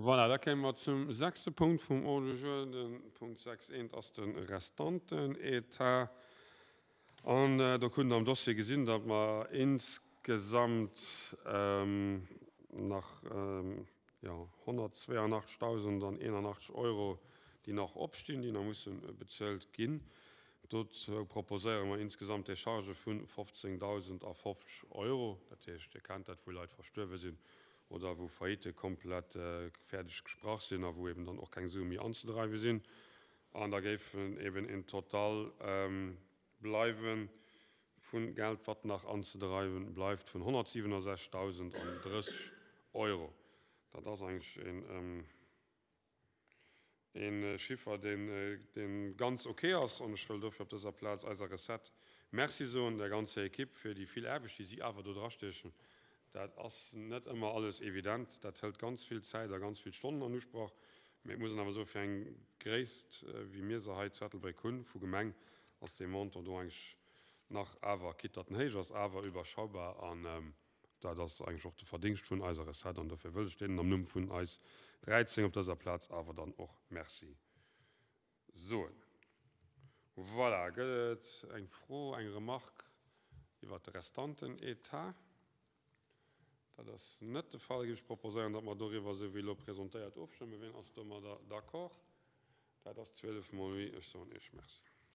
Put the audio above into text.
Voilà, da kéime mer zum sechste Punkt vum Ordre du jour. De Punkt 6.1 ass de Restantenetat. An do krut Der am Dossier gesinn, datt mer insgesamt nach, jo, 182.081 Euro, déi nach opstinn, déi nach musse bezuelt ginn. Dozou proposéiere mer insgesamt Déchargë vu 15.050 Euro. Dat heescht, Dir kennt dat, wou Leit verstuerwe sinn oder wou Faillitte komplett fäerdeg gesprach sinn a wou eben dann och keng Sue méi anzedreiwe sinn. An da géifen eben en Total bleiwe vu Geld, wat nach anzedreiwe bleift, vun 167.030 Euro. Dat ass eigentlech een. E Chiffer, dee ganz ok ass. An ech wëll dofir op dëser Plaz eiser Recette Merci soen, der ganzer Ekipp fir déi vill Aarbecht, déi si awer do drastiechen. Dat ass net ëmmer alles evident, dat hëlt ganz vill Zäit a ganz vill Stonnen an Usproch. Mee et muss een awer soen, fir eng Gréisst, wéi mir se hei zu Ettelbréck hunn, vu Gemeng, ass dee Montant do eigentlech nach awer, quitte datt en héich ass, awer überschaubar. An Dat ass eigentlech och de Verdingscht vun eiser Recette an dofir wëll ech deenen am Numm vun eis 13 op dëser Plaz awer dann och Merci soen. Voilà, gëtt et eng Fro, eng Remarque iwwert de Restantenetat? Dat ass net de Fall. Da géif ech proposéieren, datt mer doriwwer, esou wéi elo presentéiert, ofstëmmen. Wien ass domadder d'accord? Dat ass 12 mol oui. Ech soen Iech Merci.